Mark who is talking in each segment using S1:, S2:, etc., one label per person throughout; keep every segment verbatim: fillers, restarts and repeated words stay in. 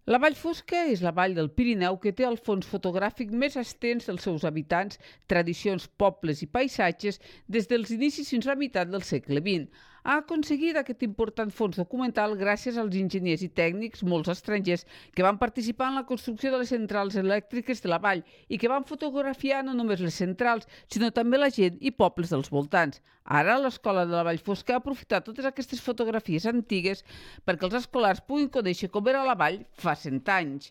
S1: La Vall Fosca és la vall del Pirineu que té el fons fotogràfic més extens dels seus habitants, tradicions, pobles i paisatges des dels inicis fins a la meitat del segle vint. Ha aconseguit aquest important fons documental gràcies als enginyers i tècnics, molts estrangers, que van participar en la construcció de les centrals elèctriques de la vall i que van fotografiar no només les centrals, sinó també la gent i pobles dels voltants. Ara, l'Escola de la Vall Fosca ha aprofitat totes aquestes fotografies antigues perquè els escolars puguin conèixer com era la vall fa cent anys.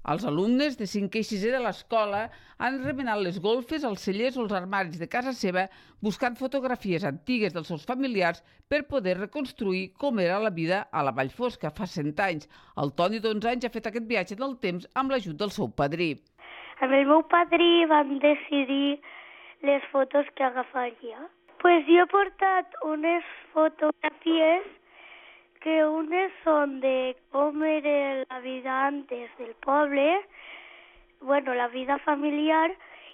S1: Els alumnes de cinquè i sisè de l'escola han remenat les golfes, els cellers o els armaris de casa seva buscant fotografies antigues dels seus familiars per poder reconstruir com era la vida a la Vall Fosca fa cent anys. El Toni, d'onze anys, ha fet aquest viatge del temps amb l'ajut del seu padrí.
S2: Amb el meu padrí vam decidir les fotos que agafaria. Pues jo he portat unes fotografies que unes són de com era la vida antes del poble, bueno, la vida familiar,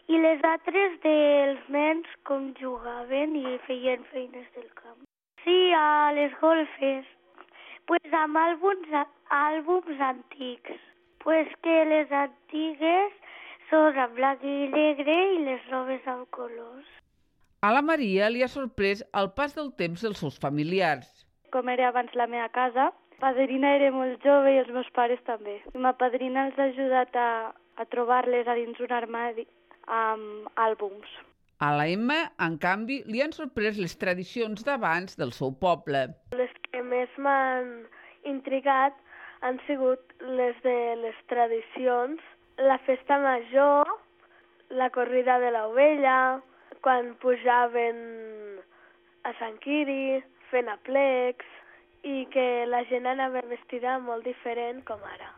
S2: i les altres dels nens com jugaven i feien feines del camp. Sí, a les golfes, pues amb àlbums, àlbums antics. Pues que les antigues són en blanc i negre i les noves amb colors.
S1: A la Maria li ha sorprès el pas del temps dels seus familiars.
S3: Com era abans la meva casa, la padrina era molt jove i els meus pares també. I ma padrina els ha ajudat a, a trobar-les a dins un armari amb àlbums.
S1: A la Emma, en canvi, li han sorprès les tradicions d'abans del seu poble.
S3: Les que més m'han intrigat han sigut les de les tradicions, la festa major, la corrida de l'ovella, quan pujaven a Sant Quiri, fent aplecs, i que la gent anava vestida molt diferent com ara.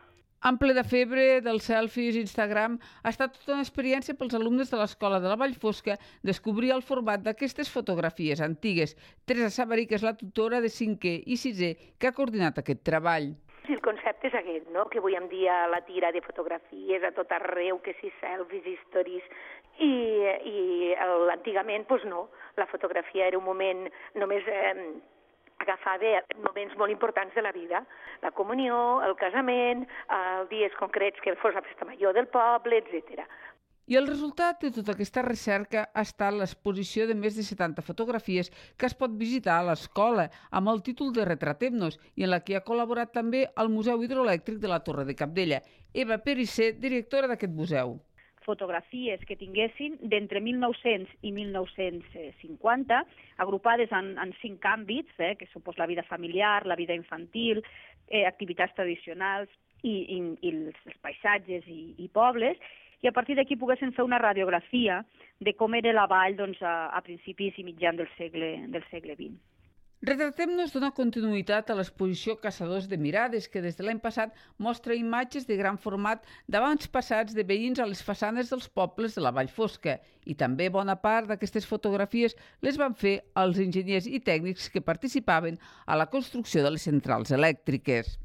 S1: En ple de febre dels selfies i Instagram, ha estat tota una experiència pels alumnes de l'Escola de la Vall Fosca descobrir el format d'aquestes fotografies antigues. Teresa Sabarí, que és la tutora de cinquè i sisè, que ha coordinat aquest treball.
S4: El concepte és aquest, no? Que avui en dia la tira de fotografies a tot arreu, que si selfies, stories, i, i antigament, doncs no, la fotografia era un moment només eh, agafava moments molt importants de la vida, la comunió, el casament, els dies concrets que fos la festa major del poble, etcètera.
S1: I el resultat de tota aquesta recerca ha estat l'exposició de més de setanta fotografies que es pot visitar a l'escola amb el títol de Retratem-nos i en la que ha col·laborat també el Museu Hidroelèctric de la Torre de Cabdella. Eva Perissé, directora d'aquest museu.
S5: Fotografies que tinguessin d'entre mil nou-cents i mil nou-cents cinquanta, agrupades en, en cinc àmbits, eh, que són la vida familiar, la vida infantil, eh, activitats tradicionals i, i, i els, els paisatges i, i pobles, i a partir d'aquí poguessin fer una radiografia de com era la vall doncs, a, a principis i mitjan del segle, del segle vint.
S1: Retratem-nos dona continuïtat a l'exposició Caçadors de Mirades, que des de l'any passat mostra imatges de gran format d'abans passats de veïns a les façanes dels pobles de la Vall Fosca. I també bona part d'aquestes fotografies les van fer els enginyers i tècnics que participaven a la construcció de les centrals elèctriques.